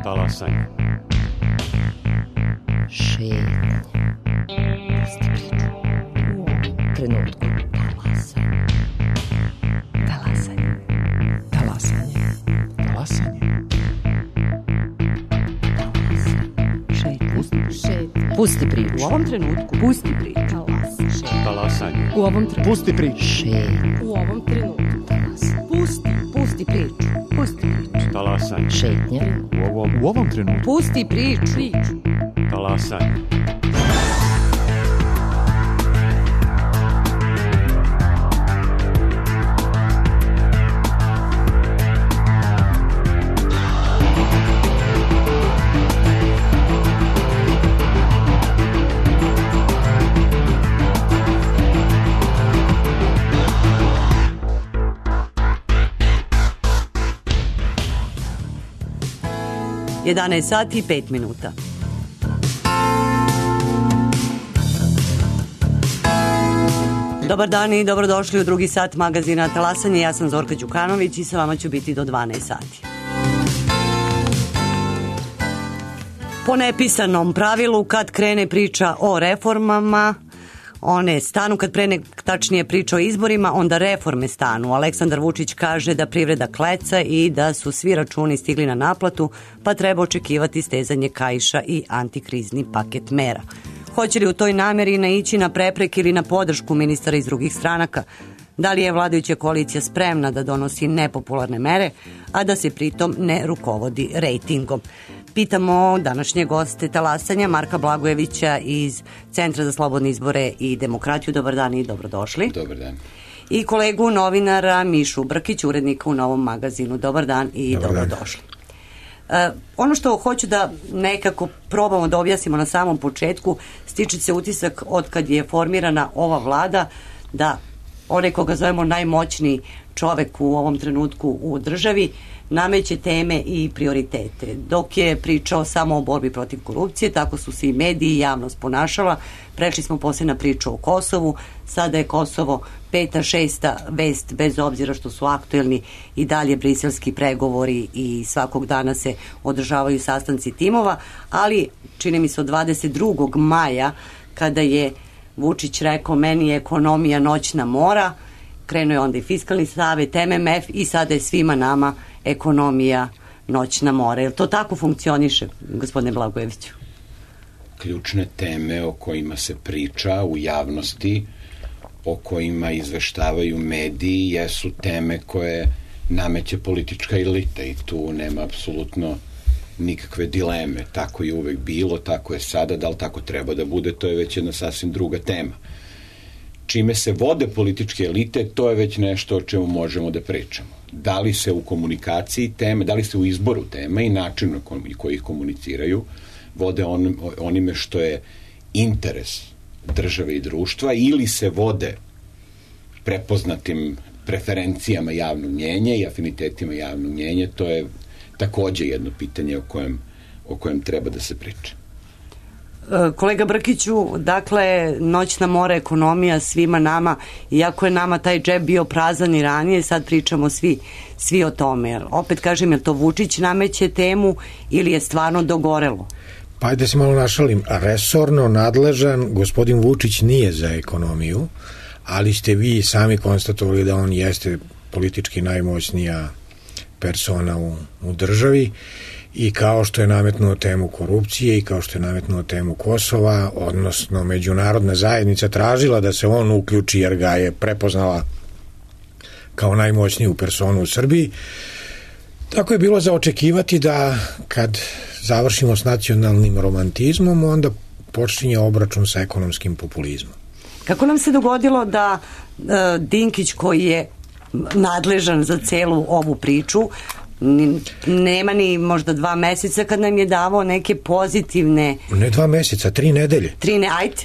Talasanje. Šetnja. Pusti priču. U ovom trenutku. Talasanje. Talasanje. Talasanje. Šetnja. Pusti priču. U ovom trenutku. Pusti priču. Talasanje. U ovom trenutku. Pusti priču. Šetnja. U ovom trenutku. Pusti priču. Pusti priču. Talasanje. Šetnja. U ovom trenutku. Pusti priču. Talasanje. Jedanaest sati i 5 minuta. Dobar dan i dobrodošli u drugi sat magazina Talasanje. Ja sam Zorka Đukanović i sa vama ću biti do 12 sati. Po nepisanom pravilu, kad krene priča o reformama, one stanu, kad tačnije priča o izborima, onda reforme stanu. Aleksandar Vučić kaže da privreda kleca i da su svi računi stigli na naplatu, pa treba očekivati stezanje kaiša i antikrizni paket mera. Hoće li u toj nameri naići na prepreke ili na podršku ministara iz drugih stranaka? Da li je vladajuća koalicija spremna da donosi nepopularne mere, a da se pritom ne rukovodi rejtingom? Pitamo današnje goste Talasanja, Marka Blagojevića iz Centra za slobodne izbore i demokratiju. Dobar dan i dobrodošli. Dobar dan. I kolegu novinara Mišu Brkić, urednika u Novom magazinu. Dobar dan i dobrodošli. Ono što hoću da nekako probamo da objasnimo na samom početku, stiče se utisak od kad je formirana ova vlada da onaj koga zovemo najmoćniji čovek u ovom trenutku u državi nameće teme i prioritete. Dok je pričao samo o borbi protiv korupcije, tako su se i mediji i javnost ponašala. Prešli smo poslije na priču o Kosovu, sada je Kosovo 5., 6. vest, bez obzira što su aktuelni i dalje briselski pregovori i svakog dana se održavaju sastanci timova, ali čini mi se od 22. maja kada je Vučić rekao meni je ekonomija noćna mora, krenuo je onda i Fiskalni savet, MMF i sada je svima nama ekonomija noćna mora. Je li to tako funkcioniše, gospodine Blagojeviću? Ključne teme o kojima se priča u javnosti, o kojima izveštavaju mediji, jesu teme koje nameće politička elita i tu nema apsolutno nikakve dileme. Tako je uvek bilo, tako je sada, da li tako treba da bude, to je već jedna sasvim druga tema. Čime se vode političke elite, to je već nešto o čemu možemo da pričamo. Da li se u komunikaciji teme, da li se u izboru tema i načinu koji ih komuniciraju vode onime što je interes države i društva ili se vode prepoznatim preferencijama javnog mnjenja i afinitetima javnog mnjenja, to je takođe jedno pitanje o kojem treba da se priča. Kolega Brkiću, dakle, noćna mora, ekonomija svima nama, iako je nama taj džep bio prazan i ranije, sad pričamo svi o tome. Opet kažem, je li to Vučić nameće temu ili je stvarno dogorelo? Pa ajde se malo našalim. Resorno nadležan gospodin Vučić nije za ekonomiju, ali ste vi sami konstatovali da on jeste politički najmoćnija persona u državi i kao što je nametnuo temu korupcije i kao što je nametnuo temu Kosova, odnosno međunarodna zajednica tražila da se on uključi jer ga je prepoznala kao najmoćniju personu u Srbiji. Tako je bilo za očekivati da kad završimo s nacionalnim romantizmom, onda počinje obračun sa ekonomskim populizmom. Kako nam se dogodilo da Dinkić, koji je nadležan za celu ovu priču, nema ni možda 2 meseca kad nam je davao neke pozitivne... Ne 2 meseca, 3 nedelje.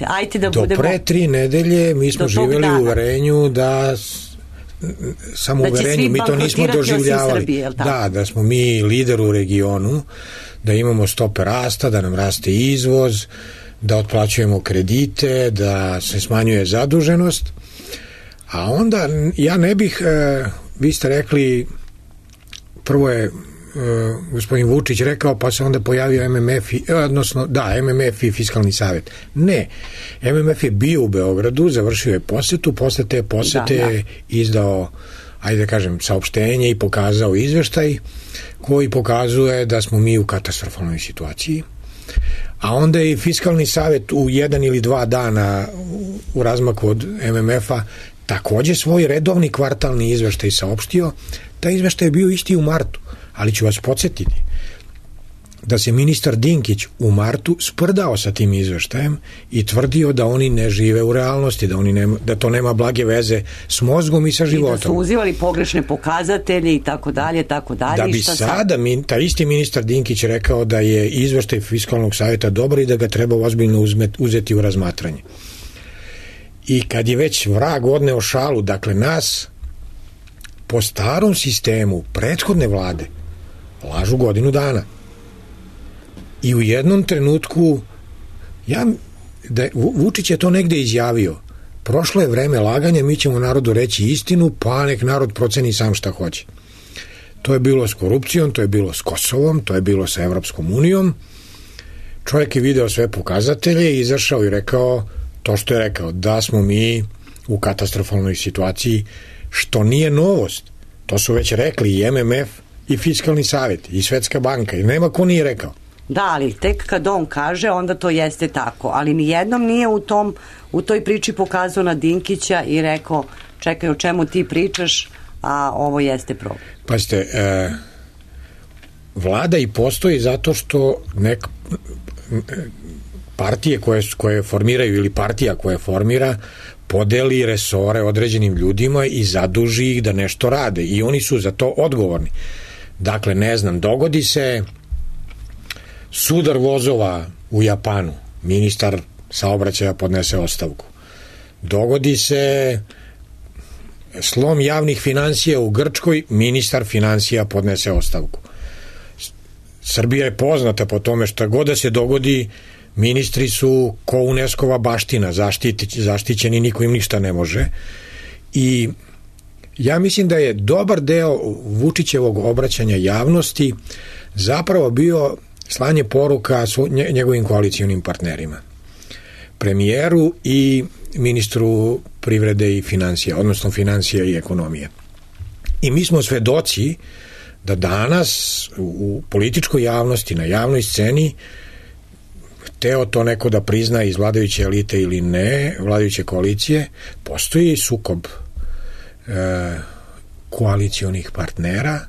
Ajte da budemo... Do pre 3 nedelje mi smo živjeli u uverenju da... Samo uverenju, mi to nismo doživljavali. Srbije, da smo mi lider u regionu, da imamo stope rasta, da nam raste izvoz, da otplaćujemo kredite, da se smanjuje zaduženost. A onda ja ne bih, vi ste rekli, prvo je gospodin Vučić rekao, pa se onda pojavio MMF, MMF i Fiskalni savet. Ne, MMF je bio u Beogradu, završio je posetu, posle te posete je izdao, ajde da kažem, saopštenje i pokazao izveštaj koji pokazuje da smo mi u katastrofalnoj situaciji. A onda je i Fiskalni savet u 1 ili 2 dana u razmaku od MMF-a takođe svoj redovni kvartalni izveštaj saopštio. Taj izveštaj je bio isti u martu, ali ću vas podsjetiti da se ministar Dinkić u martu sprdao sa tim izveštajem i tvrdio da oni ne žive u realnosti, da to nema blage veze s mozgom i sa životom. I da su uzivali pogrešne pokazatelje i tako dalje, tako dalje. Da bi sada taj isti ministar Dinkić rekao da je izveštaj Fiskalnog savjeta dobar i da ga treba ozbiljno uzeti u razmatranje. I kad je već vrag odneo šalu, dakle nas po starom sistemu prethodne vlade lažu godinu dana. I u jednom trenutku Vučić je to negde izjavio. Prošlo je vreme laganja, mi ćemo narodu reći istinu, pa nek narod proceni sam šta hoće. To je bilo s korupcijom, to je bilo s Kosovom, to je bilo sa Evropskom unijom. Čovjek je video sve pokazatelje i izašao i rekao to što je rekao, da smo mi u katastrofalnoj situaciji, što nije novost. To su već rekli i MMF i Fiskalni savjet i Svetska banka i nema ko nije rekao. Da, ali tek kad on kaže, onda to jeste tako. Ali nijednom nije u toj priči pokazao na Dinkića i rekao, čekaj, o čemu ti pričaš, a ovo jeste problem. Pazite, vlada i postoji zato što partije koje formiraju ili partija koja formira podeli resore određenim ljudima i zaduži ih da nešto rade i oni su za to odgovorni. Dakle, ne znam, dogodi se sudar vozova u Japanu, ministar saobraćaja podnese ostavku. Dogodi se slom javnih finansija u Grčkoj, ministar finansija podnese ostavku. Srbija je poznata po tome šta god da se dogodi, ministri su ko UNESCO-va baština, zaštićeni, niko im ništa ne može. I ja mislim da je dobar deo Vučićevog obraćanja javnosti zapravo bio slanje poruka njegovim koalicionim partnerima, premijeru i ministru privrede i financija, odnosno financija i ekonomije. I mi smo svedoci da danas u političkoj javnosti, na javnoj sceni, hteo to neko da prizna iz vladajuće elite ili ne, vladajuće koalicije, postoji sukob koalicionih partnera.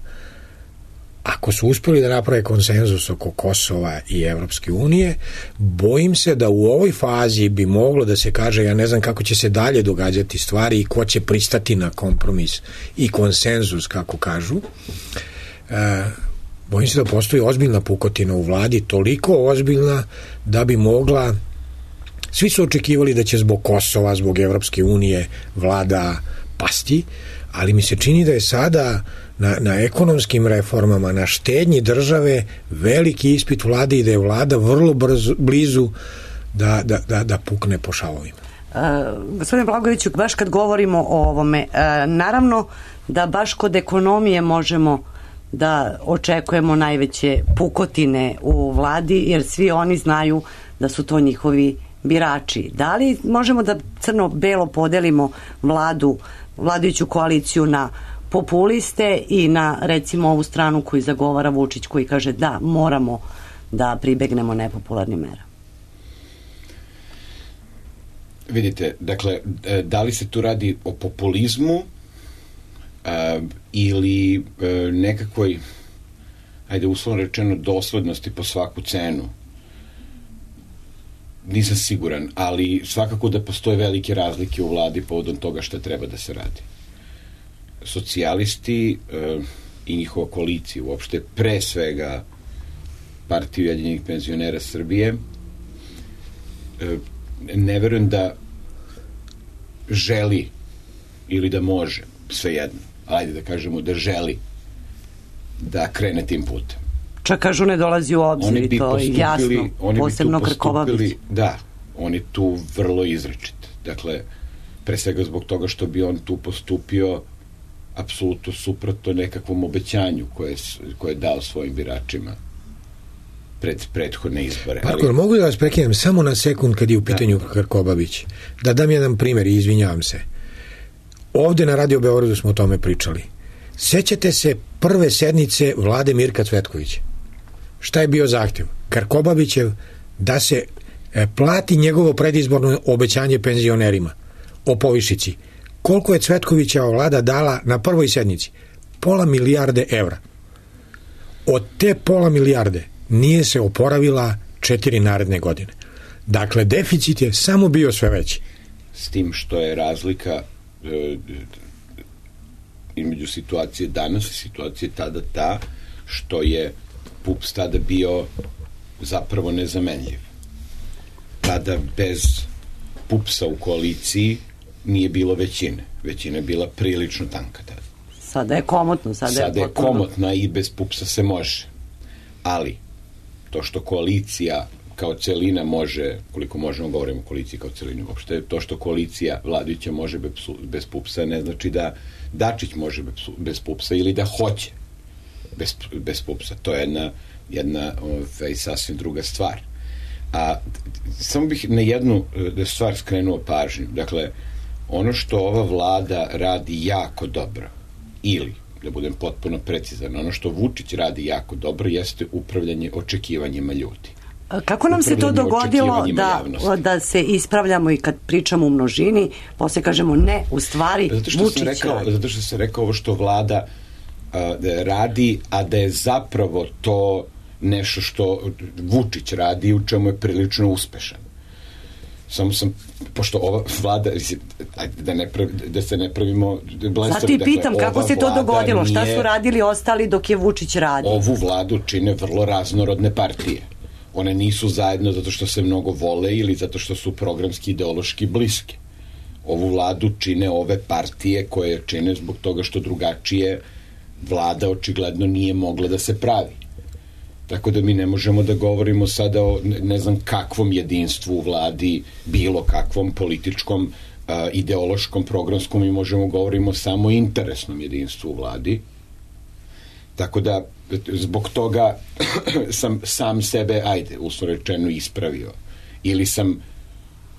Ako su uspeli da naprave konsenzus oko Kosova i Evropske unije, bojim se da u ovoj fazi bi moglo da se kaže, ja ne znam kako će se dalje događati stvari i ko će pristati na kompromis i konsenzus, kako kažu. Bojim se da postoji ozbiljna pukotina u vladi, toliko ozbiljna da bi mogla, svi su očekivali da će zbog Kosova, zbog Evropske unije vlada pasti, ali mi se čini da je sada na ekonomskim reformama, na štednji veliki ispit vlade i da je vlada vrlo blizu da pukne po šavovima. Gospodine Blagojeviću, baš kad govorimo o ovome, naravno da baš kod ekonomije možemo da očekujemo najveće pukotine u vladi, jer svi oni znaju da su to njihovi birači. Da li možemo da crno-belo podelimo vladajuću koaliciju na populiste i na, recimo, ovu stranu koju zagovara Vučić, koji kaže da moramo da pribegnemo nepopularnim merama? Vidite, dakle, da li se tu radi o populizmu ili nekakvoj, ajde uslovno rečeno, doslednosti po svaku cenu? Nisam siguran, ali svakako da postoje velike razlike u vladi povodom toga šta treba da se radi. Socijalisti i njihova koalicija, uopšte pre svega Partija ujedinjenih penzionera Srbije, ne verujem da želi ili da može, svejedno, ajde da kažemo da želi da krene tim putem. Čak kažu ne dolazi u obzir, to je jasno, posebno Krkobabić. Da, on je tu vrlo izrečit. Dakle, pre svega zbog toga što bi on tu postupio apsolutno suprotno nekakvom obećanju koje je dao svojim biračima pred prethodne izbore. Marko, mogu da vas prekinem samo na sekund kad je u pitanju Krkobabić? Da dam jedan primjer i izvinjavam se. Ovde na Radio Beogradu smo o tome pričali. Sećate se prve sednice vlade Mirka Cvetkovića? Šta je bio zahtjev? Krkobabićev da se plati njegovo predizborno obećanje penzionerima o povišici. Koliko je Cvetkovićeva vlada dala na prvoj sednici? 500 milijarde evra. Od te 500 milijarde nije se oporavila 4 naredne godine. Dakle, deficit je samo bio sve veći. S tim što je razlika između situacije danas i situacije tada ta što je PUPS tada bio zapravo nezamenljiv. Tada bez PUPS-a u koaliciji nije bilo većine. Većina je bila prilično tanka tada. Sada je komotno. Sada je komotna i bez PUPS-a se može. Ali, to što koalicija kao celina može, koliko možemo govorimo o koaliciji kao celini uopšte, to što koalicija vladajuća može bez PUPS-a ne znači da Dačić može bez PUPS-a ili da hoće bez PUPS-a. To je jedna sasvim druga stvar. A samo bih na jednu stvar skrenuo pažnju. Dakle, ono što ova vlada radi jako dobro, ili, da budem potpuno precizan, ono što Vučić radi jako dobro jeste upravljanje očekivanjima ljudi. Kako nam se to dogodilo da se ispravljamo i kad pričamo u množini, posle kažemo ne, u stvari Vučić radi? Zato što sam rekao ovo što vlada radi, a da je zapravo to nešto što Vučić radi u čemu je prilično uspešan. Samo sam, pošto ova vlada, da se ne pravimo blesavi. Zato i pitam, kako se to dogodilo? Šta su radili ostali dok je Vučić radi? Ovu vladu čine vrlo raznorodne partije. One nisu zajedno zato što se mnogo vole ili zato što su programski ideološki bliske. Ovu vladu čine ove partije koje čine zbog toga što drugačije vlada očigledno nije mogla da se pravi. Tako da mi ne možemo da govorimo sada o ne znam kakvom jedinstvu u vladi, bilo kakvom političkom, ideološkom, programskom, mi možemo govorimo samo o interesnom jedinstvu u vladi. Tako da zbog toga sam sam sebe, uslovno rečeno, ispravio. Ili sam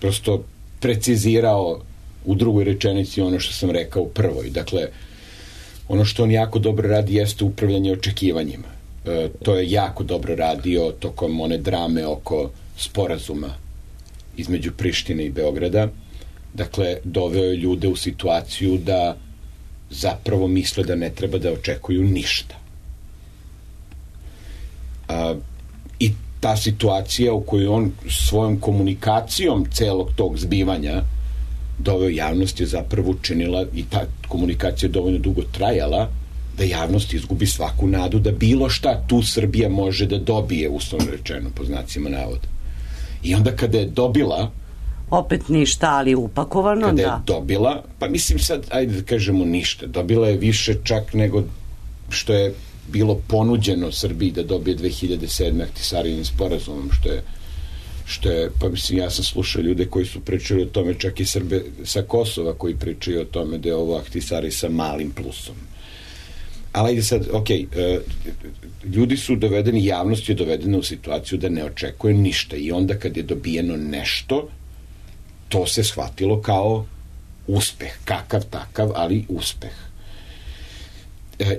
prosto precizirao u drugoj rečenici ono što sam rekao u prvoj. Dakle, ono što on jako dobro radi jeste upravljanje očekivanjima. To je jako dobro radio tokom one drame oko sporazuma između Prištine i Beograda. Dakle, doveo je ljude u situaciju da zapravo misle da ne treba da očekuju ništa. I ta situacija u kojoj on svojom komunikacijom celog tog zbivanja doveo javnost je zapravo učinila, i ta komunikacija je dovoljno dugo trajala, da javnost izgubi svaku nadu da bilo šta tu Srbija može da dobije, uslovno rečeno, po znacima navoda. I onda kada je dobila, opet ništa, ali upakovano, kada je dobila, pa mislim sad, ajde da kažemo ništa, dobila je više čak nego što je bilo ponuđeno Srbiji da dobije 2007. Ahtisarinim sporazumom, što je, pa mislim, ja sam slušao ljude koji su pričali o tome, čak i Srbe sa Kosova koji pričaju o tome da je ovo Ahtisari sa malim plusom. Ali ajde sad, ljudi su dovedeni, javnost je dovedena u situaciju da ne očekuje ništa i onda kad je dobijeno nešto, to se shvatilo kao uspeh, kakav takav, ali uspeh.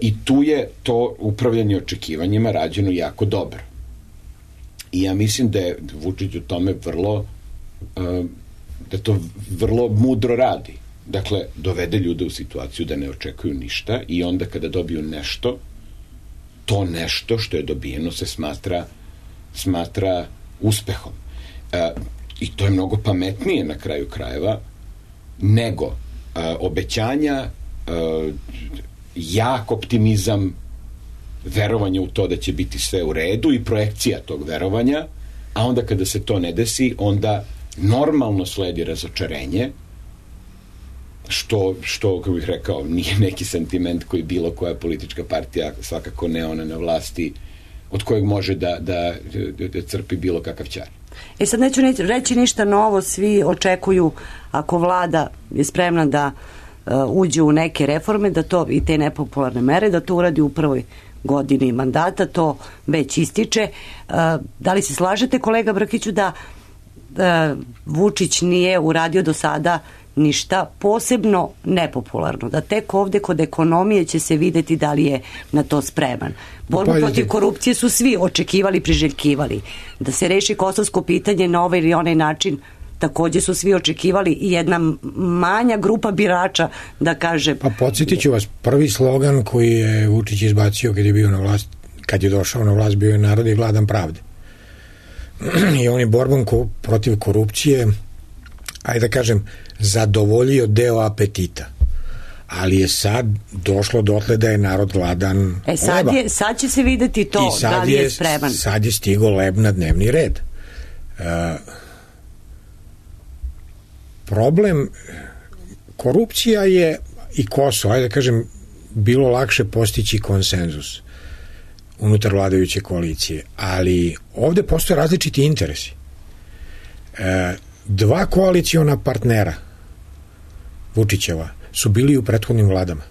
I tu je to upravljanje očekivanjima rađeno jako dobro. I ja mislim da je Vučić u tome da to vrlo mudro radi. Dakle, dovede ljude u situaciju da ne očekuju ništa i onda kada dobiju nešto, to nešto što je dobijeno se smatra uspehom. I to je mnogo pametnije na kraju krajeva nego obećanja, jak optimizam, verovanje u to da će biti sve u redu i projekcija tog verovanja, a onda kada se to ne desi, onda normalno sledi razočarenje, što, kako bih rekao, nije neki sentiment koji bilo koja politička partija, svakako ne ona na vlasti, od kojeg može da crpi bilo kakav ćar. Sad neću reći ništa novo, svi očekuju, ako vlada je spremna da uđe u neke reforme, da to i te nepopularne mere, da to uradi u prvoj godini mandata, to već ističe. Da li se slažete, kolega Brkiću, da Vučić nije uradio do sada ništa posebno nepopularno, da tek ovde kod ekonomije će se videti da li je na to spreman? Borbu protiv korupcije su svi očekivali, priželjkivali. Da se reši kosovsko pitanje na ovaj ili onaj način, takođe su svi očekivali, i jedna manja grupa birača da kaže... Pa podsjetit ću vas, prvi slogan koji je Vučić izbacio kad je bio na vlast, kad je došao na vlast, bio je narod je gladan pravde. I on je borbom protiv korupcije, ajde da kažem, zadovoljio deo apetita. Ali je sad došlo dotle da je narod gladan leba. Sad će se videti to, da li je spreman. Sad je stigo leb na dnevni red. Problem korupcija je i Kosovo, ajde da kažem, bilo lakše postići konsenzus unutar vladajuće koalicije, ali ovde postoje različiti interesi. Dva koaliciona partnera Vučićeva su bili u prethodnim vladama.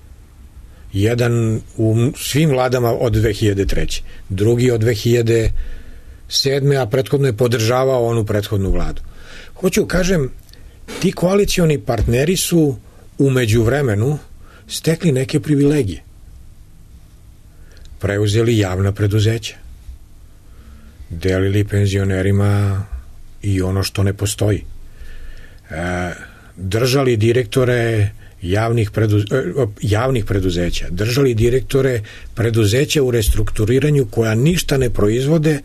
Jedan u svim vladama od 2003. Drugi od 2007. a prethodno je podržavao onu prethodnu vladu. Hoću kažem, ti koalicioni partneri su u međuvremenu stekli neke privilegije. Preuzeli javna preduzeća. Delili penzionerima i ono što ne postoji. Držali direktore javnih preduzeća. Držali direktore preduzeća u restrukturiranju koja ništa ne proizvode,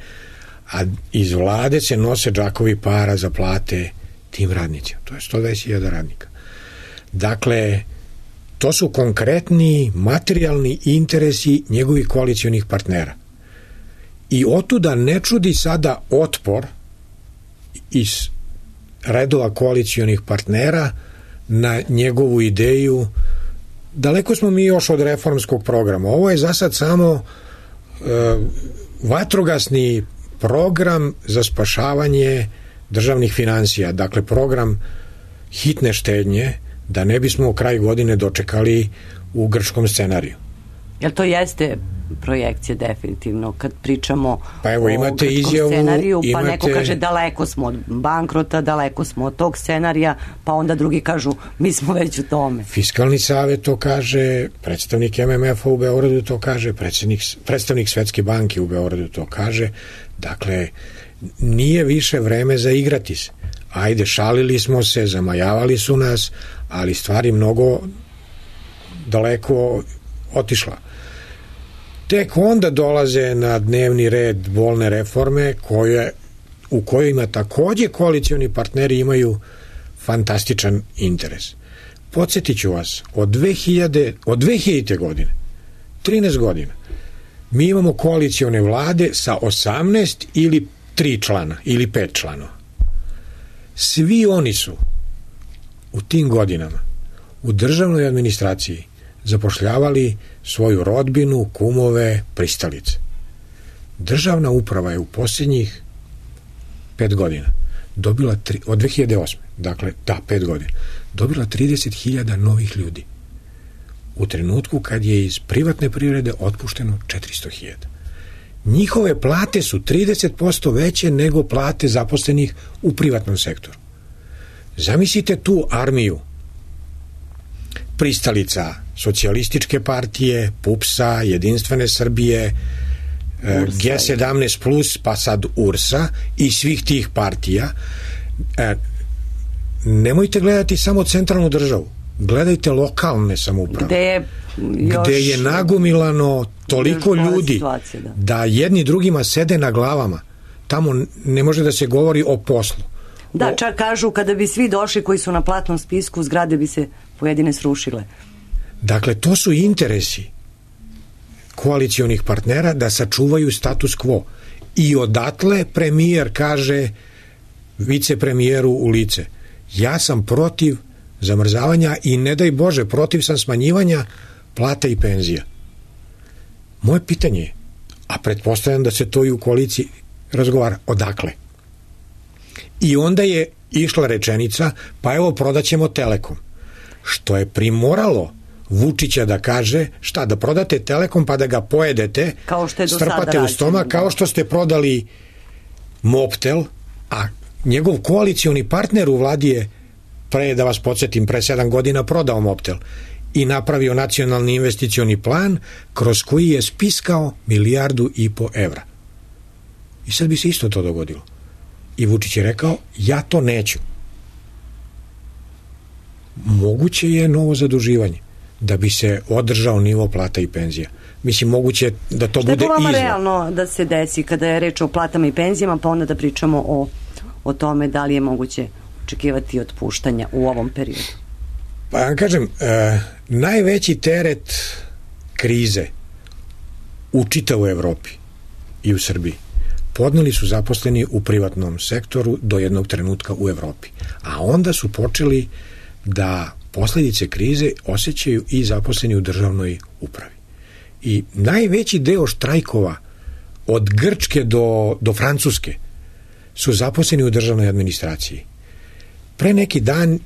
a iz vlade se nose džakovi para za plate tim radnicima. To je 120.000 radnika. Dakle, to su konkretni materijalni interesi njegovih koalicionih partnera. I otuda ne čudi sada otpor iz redova koalicionih partnera na njegovu ideju. Daleko smo mi još od reformskog programa. Ovo je za sad samo vatrogasni program za spašavanje državnih finansija. Dakle, program hitne štednje, da ne bismo kraj godine dočekali u grčkom scenariju. Jel to jeste projekcija definitivno kad pričamo pa evo, o grčkom scenariju, pa neko kaže daleko smo od bankrota, daleko smo od tog scenarija, pa onda drugi kažu mi smo već u tome. Fiskalni savet to kaže, predstavnik MMF-a u Beogradu to kaže, predstavnik Svetske banke u Beogradu to kaže. Dakle, nije više vreme za igrati se. Ajde, šalili smo se, zamajavali su nas, ali stvari mnogo daleko otišla. Tek onda dolaze na dnevni red bolne reforme u kojima takođe koalicioni partneri imaju fantastičan interes. Podsjetit ću vas, od 2000. godine, 13 godina, mi imamo koalicione vlade sa 18 ili 3 člana ili 5 članova. Svi oni su u tim godinama u državnoj administraciji zapošljavali svoju rodbinu, kumove, pristalice. Državna uprava je u posljednjih 5 godina dobila, od 2008. Dakle, 5 godina, dobila 30.000 novih ljudi. U trenutku kad je iz privatne privrede otpušteno 400.000. Njihove plate su 30% veće nego plate zaposlenih u privatnom sektoru. Zamislite tu armiju pristalica Socijalističke partije, PUPS-a, Jedinstvene Srbije, G17+, pa sad URS-a i svih tih partija. Nemojte gledati samo centralnu državu, gledajte lokalne samouprave. Gde je nagomilano toliko ljudi da jedni drugima sede na glavama. Tamo ne može da se govori o poslu. Da, čak kažu kada bi svi došli koji su na platnom spisku, zgrade bi se pojedine srušile. Dakle, to su interesi koalicionih partnera da sačuvaju status quo. I odatle premijer kaže vicepremijeru u lice: ja sam protiv zamrzavanja i ne daj Bože, protiv sam smanjivanja plata i penzija. Moje pitanje je, a pretpostavljam da se to i u koaliciji razgovara, odakle? I onda je išla rečenica, pa evo prodaćemo Telekom. što je primoralo Vučića da kaže šta, da prodate Telekom pa da ga pojedete, kao što je do sada strpate u stomak, rađeno, kao što ste prodali Mobtel, a njegov koalicioni partner u vladi je, da vas podsjetim, pre 7 godina prodao Mobtel i napravio nacionalni investicioni plan kroz koji je spiskao 1,5 milijardu evra. I sad bi se isto to dogodilo. I Vučić je rekao, ja to neću. Moguće je novo zaduživanje da bi se održao nivo plata i penzija. Mislim, moguće je da to bude izvor. Šta je po vama realno da se desi kada je reč o platama i penzijama, pa onda da pričamo o tome da li je moguće očekivati otpuštanja u ovom periodu? Pa ja kažem, najveći teret krize u čitavoj Evropi i u Srbiji podneli su zaposleni u privatnom sektoru do jednog trenutka u Evropi. A onda su počeli da posledice krize osjećaju i zaposleni u državnoj upravi. I najveći deo štrajkova od Grčke do Francuske su zaposleni u državnoj administraciji. Pre neki dan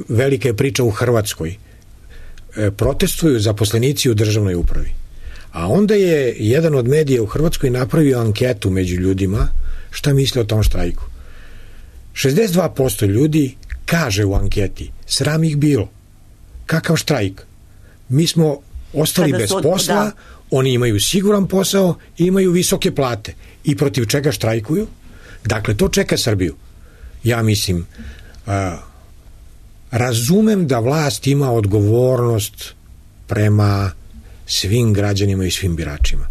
velika je priča u Hrvatskoj. Protestuju zaposlenici u državnoj upravi. A onda je jedan od medija u Hrvatskoj napravio anketu među ljudima šta misle o tom štrajku. 62% ljudi kaže u anketi, sram ih bilo. Kakav štrajk? Mi smo ostali bez posla, oni imaju siguran posao i imaju visoke plate. I protiv čega štrajkuju? Dakle, to čeka Srbiju. Ja mislim, razumem da vlast ima odgovornost prema svim građanima i svim biračima.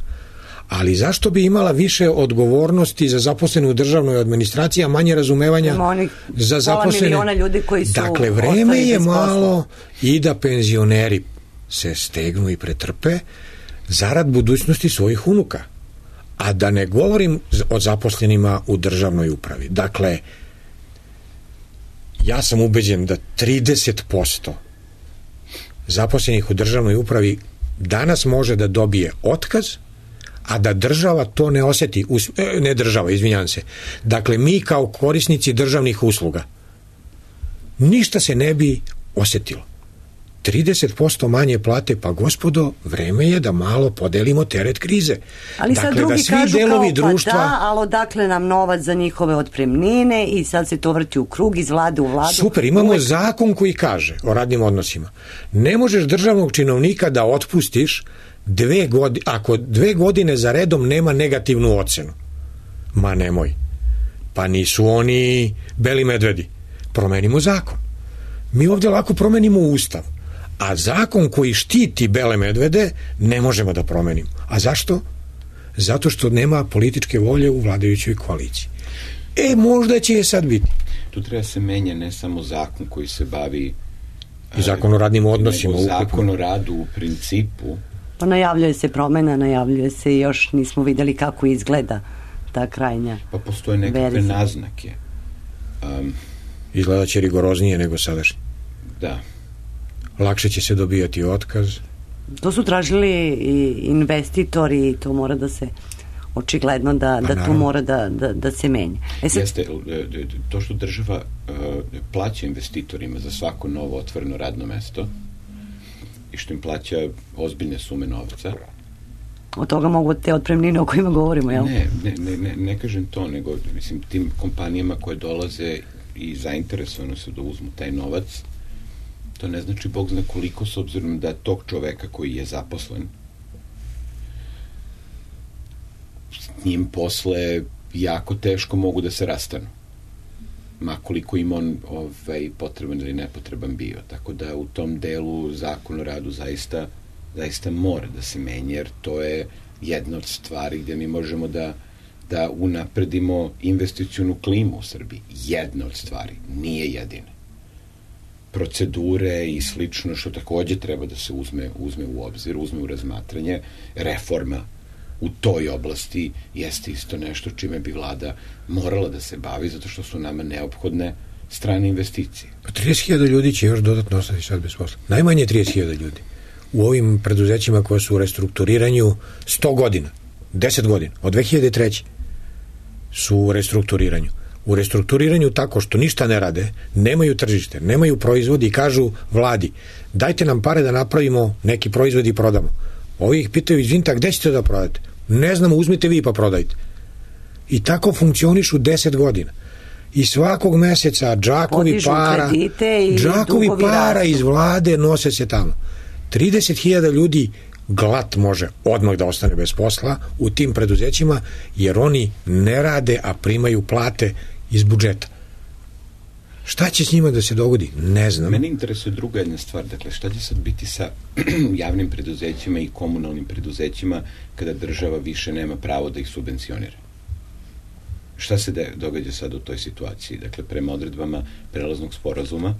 Ali zašto bi imala više odgovornosti za zaposlene u državnoj administraciji, a manje razumevanja za zaposlene? Ljudi koji su dakle, vreme je malo i da penzioneri se stegnu i pretrpe zarad budućnosti svojih unuka. A da ne govorim o zaposlenima u državnoj upravi. Dakle, ja sam ubeđen da 30% zaposlenih u državnoj upravi danas može da dobije otkaz, a da država to ne osjeti. Ne država, izvinjam se. Dakle, mi kao korisnici državnih usluga ništa se ne bi osjetilo. 30% manje plate, pa gospodo, vreme je da malo podelimo teret krize. Ali sad dakle, drugi da svi kažu delovi kao društva... pa da, ali odakle nam novac za njihove otpremnine i sad se to vrti u krug iz vlade u vladu. Super, imamo zakon koji kaže o radnim odnosima. Ne možeš državnog činovnika da otpustiš ako 2 godine za redom nema negativnu ocenu. Ma nemoj. Pa nisu oni beli medvedi. Promenimo zakon. Mi ovdje lako promenimo ustav. A zakon koji štiti bele medvede ne možemo da promenimo. A zašto? Zato što nema političke volje u vladajućoj koaliciji. Možda će je sad biti. Tu treba se menja ne samo zakon koji se bavi i zakon o radnim odnosima. Nego zakon o radu u principu. Pa najavljuje se promena, najavljuje se i još nismo videli kako izgleda ta krajnja pa postoje nekakve naznake. Izgleda će rigoroznije nego sadašnje. Da. Lakše će se dobijati otkaz. To su tražili i investitori i to mora da se očigledno da tu mora da se menja. Jeste, to što država plaća investitorima za svako novo otvoreno radno mesto i što im plaća ozbiljne sume novca. Od toga mogu te otpremnine o kojima govorimo, jel? Ne kažem to, nego mislim tim kompanijama koje dolaze i zainteresovano se da uzmu taj novac, to ne znači Bog zna koliko, s obzirom da tog čoveka koji je zaposlen s njim posle jako teško mogu da se rastanu. Ma koliko im on potreban ili nepotreban bio. Tako da u tom delu zakon o radu zaista mora da se menja, jer to je jedna od stvari gde mi možemo da unapredimo investicionu klimu u Srbiji. Jedna od stvari, nije jedina. Procedure i slično što takođe treba da se uzme u obzir, uzme u razmatranje. Reforma u toj oblasti jeste isto nešto čime bi vlada morala da se bavi, zato što su nama neophodne strane investicije. 30.000 ljudi će još dodatno ostati sad bez posla. Najmanje 30.000 ljudi. U ovim preduzećima koja su u restrukturiranju 100 godina, 10 godina, od 2003. su u restrukturiranju. u restrukturiranju tako što ništa ne rade, nemaju tržište, nemaju proizvodi i kažu vladi, dajte nam pare da napravimo neki proizvod i prodamo. Ovi ih pitaju, izvinite, gde ćete da prodate? Ne znamo, uzmite vi pa prodajte. I tako funkcionišu 10 godina. I svakog meseca džakovi para iz vlade nose se tamo. 30.000 ljudi glat može odmah da ostane bez posla u tim preduzećima, jer oni ne rade, a primaju plate iz budžeta. Šta će s njima da se dogodi? Ne znam. Mene interesuje druga jedna stvar. Dakle, šta će sad biti sa javnim preduzećima i komunalnim preduzećima kada država više nema pravo da ih subvencionira? Šta se događa sad u toj situaciji? Dakle, prema odredbama prelaznog sporazuma,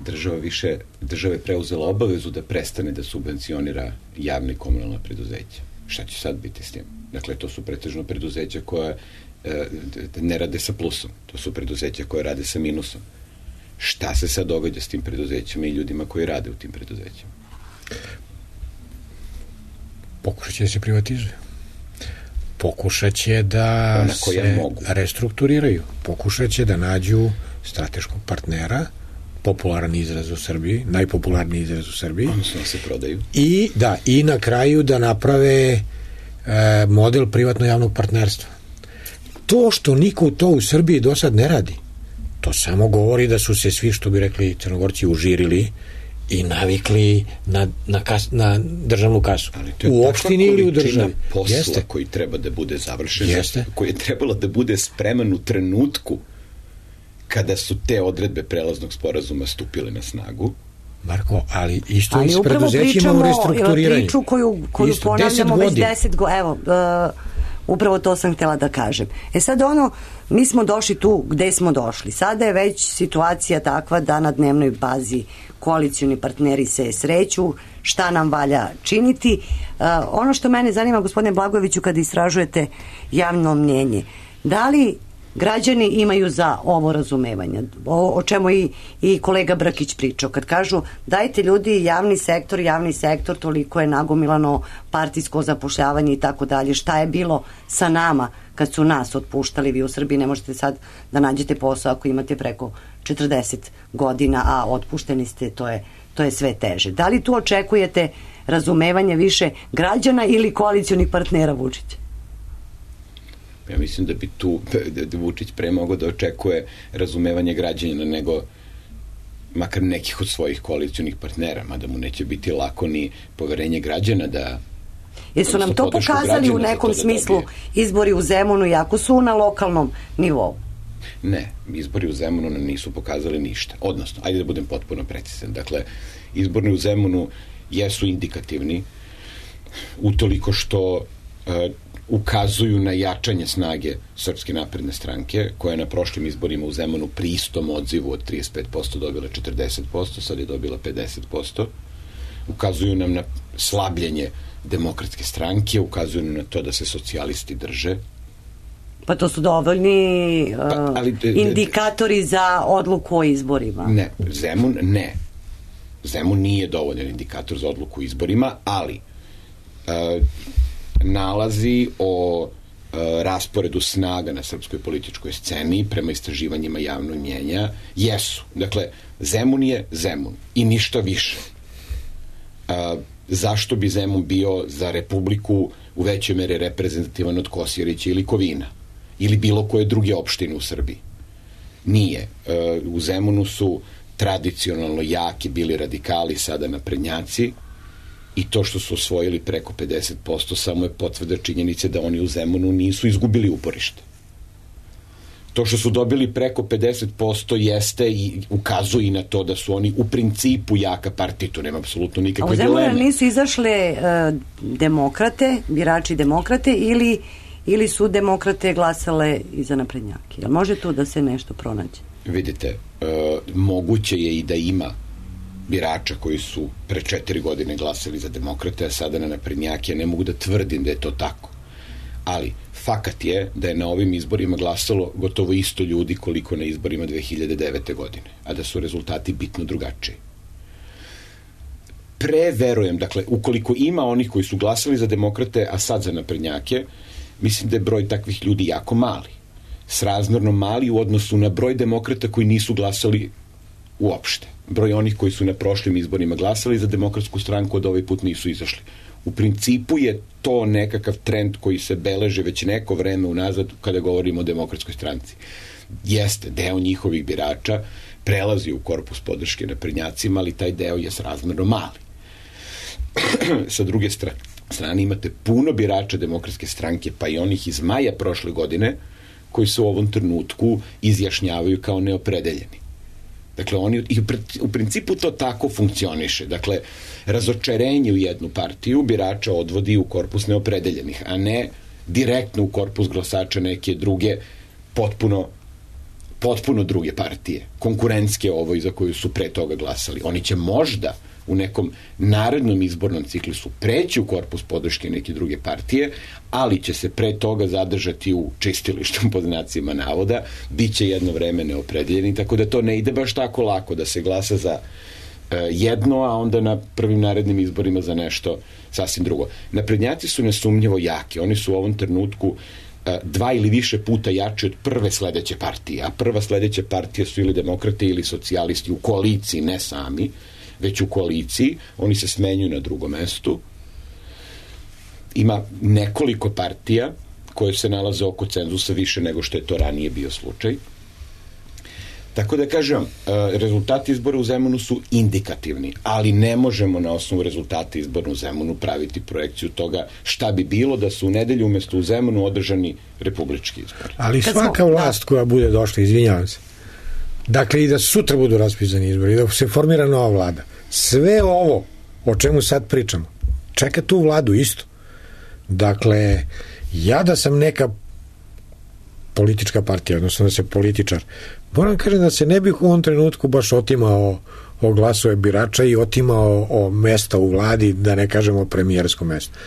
država je preuzela obavezu da prestane da subvencionira javne i komunalna preduzeća. Šta će sad biti s tim? Dakle, to su pretežno preduzeća koja ne rade sa plusom. To su preduzeća koje rade sa minusom. Šta se sad događa s tim preduzećima i ljudima koji rade u tim preduzećima? Pokušat će da se privatizuju. Pokušat će da se restrukturiraju. Pokušat će da nađu strateškog partnera, popularan izraz u Srbiji, najpopularniji izraz u Srbiji. Odnosno se prodaju. I na kraju da naprave model privatno-javnog partnerstva. To što niko to u Srbiji do sad ne radi, to samo govori da su se svi, što bi rekli Crnogorci, užirili i navikli na državnu kasu. U opštini ili u državi. Posla koji treba da bude završen, koji je trebalo da bude spreman u trenutku kada su te odredbe prelaznog sporazuma stupile na snagu. Marko, ali isto i s preduzećima u restrukturiranju. Priču koju ponavljamo već 10 godina. Evo, upravo to sam htjela da kažem. Sad mi smo došli tu gde smo došli. Sada je već situacija takva da na dnevnoj bazi koalicioni partneri se sreću, šta nam valja činiti. Ono što mene zanima, gospodine Blagojeviću, kada istražujete javno mnjenje, da li građani imaju za ovo razumevanje, o čemu i kolega Brkić pričao, kad kažu dajte ljudi javni sektor, toliko je nagomilano partijsko zapošljavanje i tako dalje, šta je bilo sa nama kad su nas otpuštali? Vi u Srbiji ne možete sad da nađete posao ako imate preko 40 godina, a otpušteni ste, to je sve teže. Da li tu očekujete razumevanje više građana ili koalicionih partnera Vučića? Ja mislim da bi tu Vučić pre mogao da očekuje razumevanje građana nego makar nekih od svojih koalicionih partnera, mada mu neće biti lako ni poverenje građana da... Jesu nam to pokazali u nekom smislu izbori u Zemunu, iako su na lokalnom nivou? Ne, izbori u Zemunu nam nisu pokazali ništa. Odnosno, ajde da budem potpuno precizan. Dakle, izborni u Zemunu jesu indikativni utoliko što ukazuju na jačanje snage Srpske napredne stranke, koja je na prošlim izborima u Zemunu pri istom odzivu od 35% dobila 40%, sad je dobila 50%. Ukazuju nam na slabljenje Demokratske stranke, ukazuju nam na to da se socijalisti drže. Pa to su dovoljni indikatori za odluku o izborima. Ne, Zemun nije dovoljan indikator za odluku o izborima, ali nalazi o rasporedu snaga na srpskoj političkoj sceni prema istraživanjima javnog mnjenja jesu. Dakle, Zemun je Zemun i ništa više. Zašto bi Zemun bio za Republiku u većoj meri reprezentativan od Kosjerića ili Kovina ili bilo koje druge opštine u Srbiji? Nije. U Zemunu su tradicionalno jaki bili radikali, sada naprednjaci, i to što su osvojili preko 50% samo je potvrda činjenice da oni u Zemunu nisu izgubili uporište. To što su dobili preko 50% jeste i ukazuje na to da su oni u principu jaka partija, to nema apsolutno nikakve dileme. A u Zemunu nisu izašle demokrate, birači demokrate, ili su demokrate glasale i za naprednjake? Jel može tu da se nešto pronađe? Vidite, moguće je i da ima birača koji su pre 4 godine glasali za demokrate, a sada na naprednjake. Ja ne mogu da tvrdim da je to tako. Ali fakat je da je na ovim izborima glasalo gotovo isto ljudi koliko na izborima 2009. godine, a da su rezultati bitno drugačiji. Preverujem, dakle, ukoliko ima onih koji su glasali za demokrate, a sad za naprednjake, mislim da je broj takvih ljudi jako mali. srazmjerno mali u odnosu na broj demokrata koji nisu glasali uopšte. Broj onih koji su na prošlim izborima glasali za Demokratsku stranku od ovaj put nisu izašli. U principu je to nekakav trend koji se beleže već neko vreme unazad kada govorimo o Demokratskoj stranci. Jeste, deo njihovih birača prelazi u korpus podrške naprednjacima, ali taj deo je srazmjerno mali. Sa druge strane imate puno birača Demokratske stranke, pa i onih iz maja prošle godine, koji se u ovom trenutku izjašnjavaju kao neopredeljeni. Dakle, u principu to tako funkcioniše. Dakle, razočarenje u jednu partiju birača odvodi u korpus neopredeljenih, a ne direktno u korpus glasača neke druge, potpuno druge partije, konkurentske ovoj za koju su pre toga glasali. Oni će možda u nekom narednom izbornom ciklusu preći u korpus podrške neke druge partije, ali će se pre toga zadržati u čistilištu pod znacima navoda, bit će jedno vreme neopredeljeni, tako da to ne ide baš tako lako da se glasa za jedno, a onda na prvim narednim izborima za nešto sasvim drugo. Naprednjaci su nesumnjivo jaki, oni su u ovom trenutku 2 ili više puta jači od prve sledeće partije, a prva sledeća partija su ili demokrate ili socijalisti u koaliciji, ne sami, već u koaliciji, oni se smenjuju na drugom mestu. Ima nekoliko partija koje se nalaze oko cenzusa više nego što je to ranije bio slučaj. Tako da kažem, rezultati izbora u Zemunu su indikativni, ali ne možemo na osnovu rezultata izbora u Zemunu praviti projekciju toga šta bi bilo da su u nedelju umesto u Zemunu održani republički izbori. Ali svaka vlast koja bude došla, izvinjavam se, dakle i da sutra budu raspisani izbori i da se formira nova vlada, sve ovo o čemu sad pričamo čeka tu vladu isto. Dakle, ja da sam neka politička partija, odnosno da se političar, moram kažem da se ne bih u ovom trenutku baš otimao o glasove birača i otimao o mesta u vladi, da ne kažemo premijersko mesto.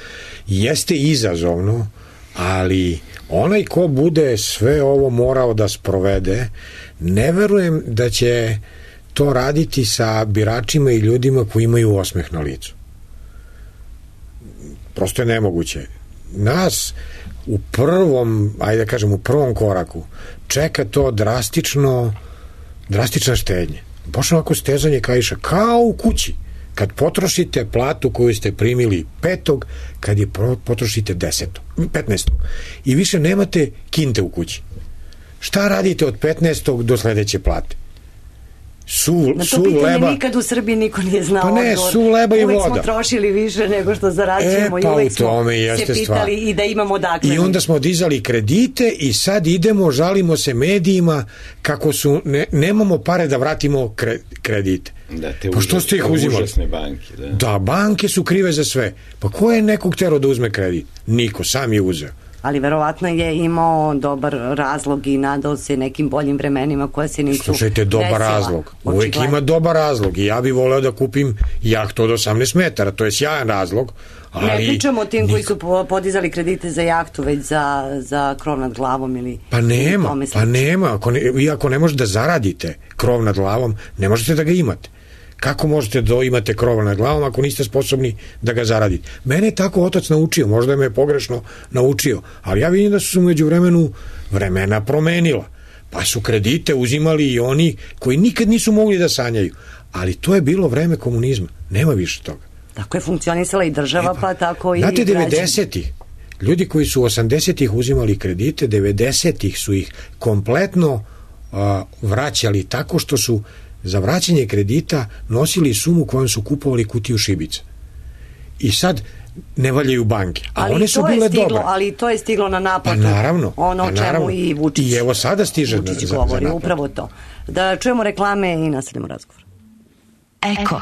Jeste izazovno, ali onaj ko bude sve ovo morao da sprovede, ne verujem da će to raditi sa biračima i ljudima koji imaju osmeh na licu. Prosto je nemoguće. Nas u prvom, ajde da kažem, u prvom koraku čeka to drastična štednja. Baš ovako stezanje kaiša, kao u kući. Kad potrošite platu koju ste primili 5. kad je potrošite 15. I više nemate kinte u kući. Šta radite od 15. do sledeće plate? Na to pitanje nikad u Srbiji niko nije znao odgovor. Pa ne, su leba i voda. Uvek smo trošili više nego što zarađujemo i uvek smo se pitali i da imamo dakle. I onda smo dizali kredite i sad idemo, žalimo se medijima kako su, nemamo pare da vratimo kredite. Da, te pa što ste ih uzimali? Užasne banke. Da, banke su krive za sve. Pa ko je nekog terao da uzme kredit? Niko, sam je uzeo. Ali verovatno je imao dobar razlog i nadao se nekim boljim vremenima koja se nisu Slušajte, dobar razlog. Uvijek ima dobar razlog i ja bih voleo da kupim jahtu od 18 metara. To je sjajan razlog. Ali ne pričamo o tim koji su podizali kredite za jahtu, već za krov nad glavom ili... Pa nema. Ako ne možete da zaradite krov nad glavom, ne možete da ga imate. Kako možete da imate krov nad glavom ako niste sposobni da ga zaradite? Mene je tako otac naučio, možda me je pogrešno naučio, ali ja vidim da su među vremena promenila. Pa su kredite uzimali i oni koji nikad nisu mogli da sanjaju. Ali to je bilo vreme komunizma. Nema više toga. Tako je funkcionisala i država, pa tako i građani. Znate, 90-ih, ljudi koji su 80-ih uzimali kredite, 90-ih su ih kompletno vraćali tako što su za vraćanje kredita nosili sumu kojom su kupovali kutiju šibica. I sad ne valjaju banke. A one su bile dobre. Ali to je stiglo na naplatu. Pa naravno. Ono o čemu i Vučić. I evo sada stiže Vučić govori, za upravo to. Da čujemo reklame i nastavljamo razgovor. Eko.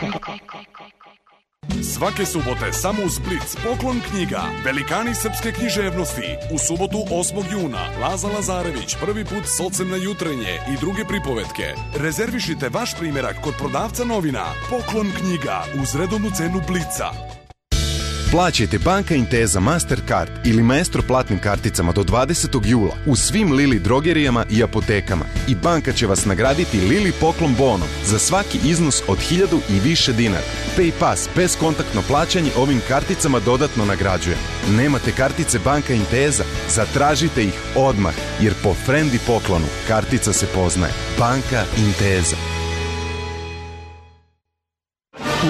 Svake subote samo uz Blic poklon knjiga Velikani srpske književnosti. U subotu 8. juna Laza Lazarević prvi put s ocem na jutrenje i druge pripovetke. Rezervišite vaš primjerak kod prodavca novina. Poklon knjiga uz redovnu cenu Blica. Plaćajte Banka Intesa Mastercard ili Maestro platnim karticama do 20. jula u svim Lili drogerijama i apotekama i banka će vas nagraditi Lili poklon bonom za svaki iznos od 1000 i više dinara. PayPass bezkontaktno plaćanje ovim karticama dodatno nagrađuje. Nemate kartice Banka Intesa? Zatražite ih odmah, jer po frendi poklonu kartica se poznaje. Banka Intesa.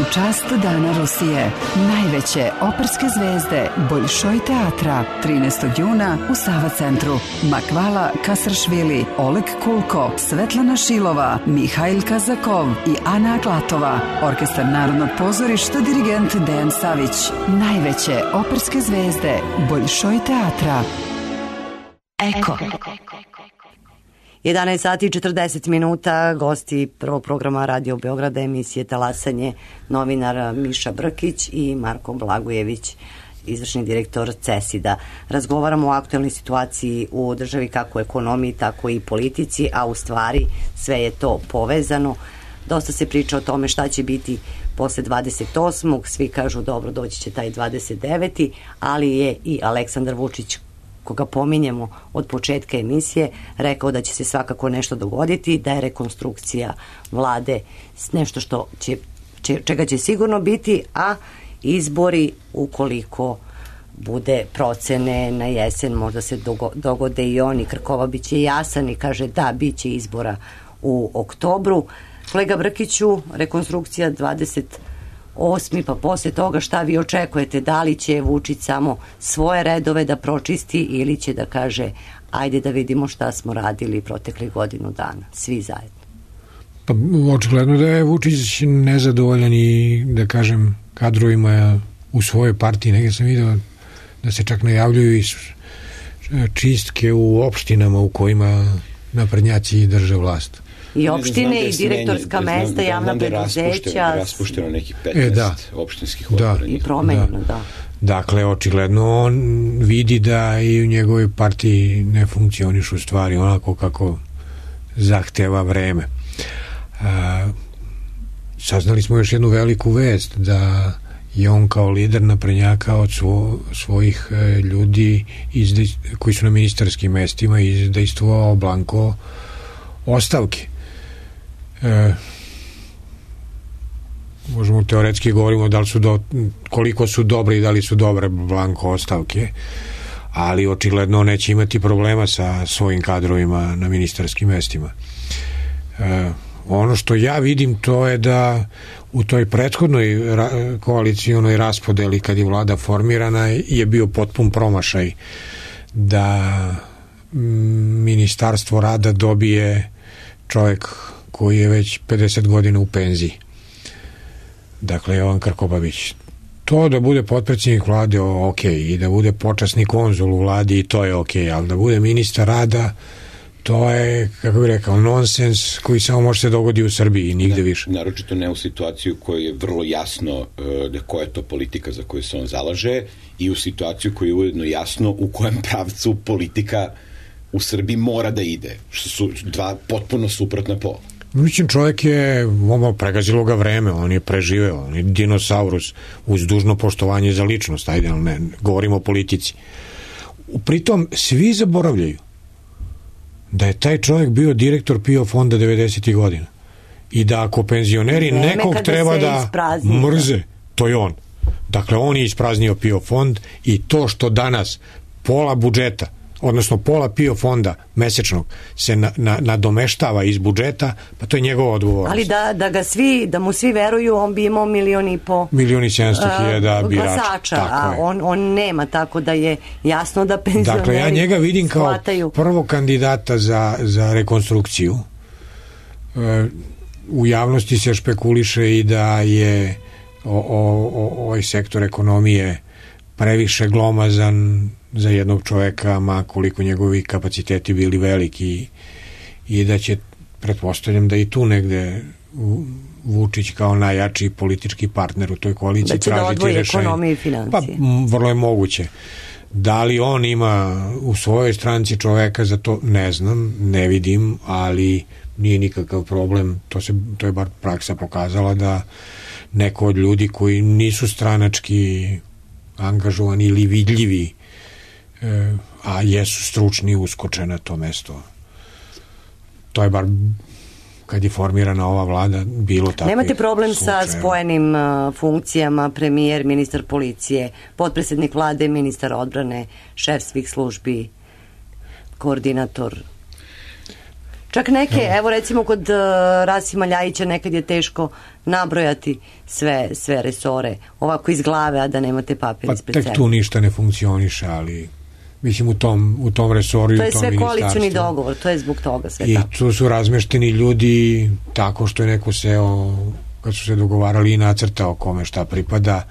U čast Dana Rusije, najveće operske zvezde Boljšoj teatra, 13. juna u Sava centru. Makvala Kasaršvili, Oleg Kulko, Svetlana Šilova, Mihajl Kazakov i Ana Aklatova. Orkestar Narodnog pozorišta, dirigent Dejan Savić. Najveće operske zvezde Boljšoj teatra. Eko. 11 sati i 40 minuta, gosti prvog programa Radio Beograda, emisije Talasanje, novinar Miša Brkić i Marko Blagojević, izvršni direktor CESID-a. Razgovaramo o aktualnoj situaciji u državi, kako u ekonomiji, tako i politici, a u stvari sve je to povezano. Dosta se priča o tome šta će biti posle 28. Svi kažu dobro, doći će taj 29. Ali je i Aleksandar Vučić, koga pominjemo od početka emisije, rekao da će se svakako nešto dogoditi, da je rekonstrukcija vlade nešto što čega će sigurno biti, a izbori, ukoliko bude procene na jesen, možda se dogode i oni. Krkova biće jasan i kaže da, bit će izbora u oktobru. Kolega Brkiću, rekonstrukcija 28. pa posle toga šta vi očekujete? Da li će Vučić samo svoje redove da pročisti ili će da kaže ajde da vidimo šta smo radili proteklih godinu dana, svi zajedno? Pa očigledno da je Vučić nezadovoljan i da kažem kadrovima u svojoj partiji. Negdje sam vidio da se čak najavljuju i čistke u opštinama u kojima naprednjaci drže vlast. I opštine i direktorska mesta, javna preduzeća. Raspušteno neki 15 opštinskih odbora. I promenjeno, da. Dakle, očigledno on vidi da i u njegovoj partiji ne funkcionišu stvari onako kako zahteva vreme. Saznali smo još jednu veliku vest, da je on kao lider naprednjaka od svojih ljudi koji su na ministarskim mestima izdejstvovao blanko ostavke. Možemo teoretski govorimo da li su koliko su dobre i da li su dobre blanko ostavke, ali očigledno neće imati problema sa svojim kadrovima na ministarskim mestima. Ono što ja vidim, to je da u toj prethodnoj koalicionoj raspodeli kad je vlada formirana je bio potpun promašaj da ministarstvo rada dobije čovjek koji je već 50 godina u penziji. Dakle, Jovan Krkobabić. To da bude potpredsjednik vlade, ok, i da bude počasni konzul u vladi, i to je ok, ali da bude ministar rada, to je, kako bih rekao, nonsens koji samo može se dogoditi u Srbiji i nigde više. Naročito ne u situaciju koja je vrlo jasno da koja je to politika za koju se on zalaže i u situaciju koja je ujedno jasno u kojem pravcu politika u Srbiji mora da ide, što su dva potpuno suprotna pola. Mislim, čovjek je pregazilo ga vreme, on je preživeo, on je dinosaurus, uz dužno poštovanje za ličnost, ajde, ali ne, govorimo o politici. Pritom, svi zaboravljaju da je taj čovjek bio direktor PIO fonda 90. godina i da ako penzioneri nekog treba da mrze, to je on. Dakle, on je ispraznio PIO fond i to što danas pola budžeta, odnosno pola PIO fonda mesečnog se nadomeštava iz budžeta, pa to je njegova odgovornost. Ali da mu svi veruju, on bi imao 1,5 miliona 1.700.000 glasača, a on nema, tako da je jasno da penzioneri. Dakle, ja njega vidim kao prvog kandidata za rekonstrukciju. U javnosti se špekuliše i da je ovaj sektor ekonomije previše glomazan za jednog čoveka, ma koliko njegovi kapaciteti bili veliki, i da će, pretpostavljam da i tu negde Vučić kao najjači politički partner u toj koaliciji tražiti rešenje. Da će da odvoji ekonomiju i financije. Pa vrlo je moguće. Da li on ima u svojoj stranci čoveka za to, ne znam, ne vidim, ali nije nikakav problem. To je bar praksa pokazala da neko od ljudi koji nisu stranački angažovani ili vidljivi, a jesu stručni, uskoče na to mesto. To je bar kad je formirana ova vlada bilo tako. Nemate problem sa spojenim funkcijama, premijer, ministar policije, potpredsjednik vlade, ministar odbrane, šef svih službi, koordinator? Čak neke, evo recimo kod Rasima Ljajića nekad je teško nabrojati sve resore, ovako iz glave, a da nemate papir ispred sebe. Pa tek tu ništa ne funkcioniše, ali mislim u tom resoru i u tom ministarstvu. To je sve koalicioni dogovor, to je zbog toga sve tako. I tu su razmešteni ljudi tako što je neko seo, kad su se dogovarali i nacrtao kome šta pripada.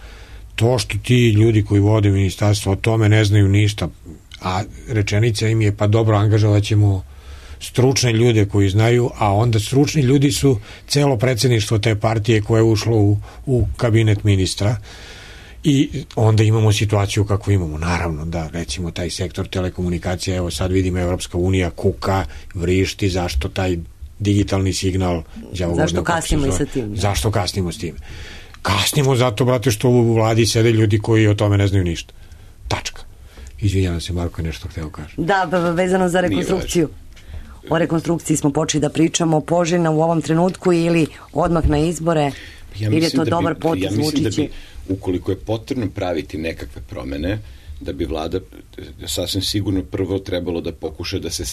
To što ti ljudi koji vode ministarstvo o tome ne znaju ništa, a rečenica im je pa dobro, angažovat ćemo stručne ljude koji znaju, a onda stručni ljudi su celo predsjedništvo te partije koje je ušlo u kabinet ministra i onda imamo situaciju kakvu imamo. Naravno da recimo taj sektor telekomunikacija, evo sad vidimo Evropska unija kuka, vrišti zašto taj digitalni signal, zašto kasnimo i sa tim. Zašto kasnimo s tim? Kasnimo zato, brate, što u vladi sede ljudi koji o tome ne znaju ništa. Tačka. Izvinjavam se, Marko je nešto hteo kaže. Da, vezano za rekonstrukciju. O rekonstrukciji smo počeli da pričamo, poželjna u ovom trenutku ili odmah na izbore, ili je to dobar potez Vučića? Ja mislim da bi, ukoliko je potrebno praviti nekakve promene, da bi vlada sasvim sigurno prvo trebalo da pokuša da se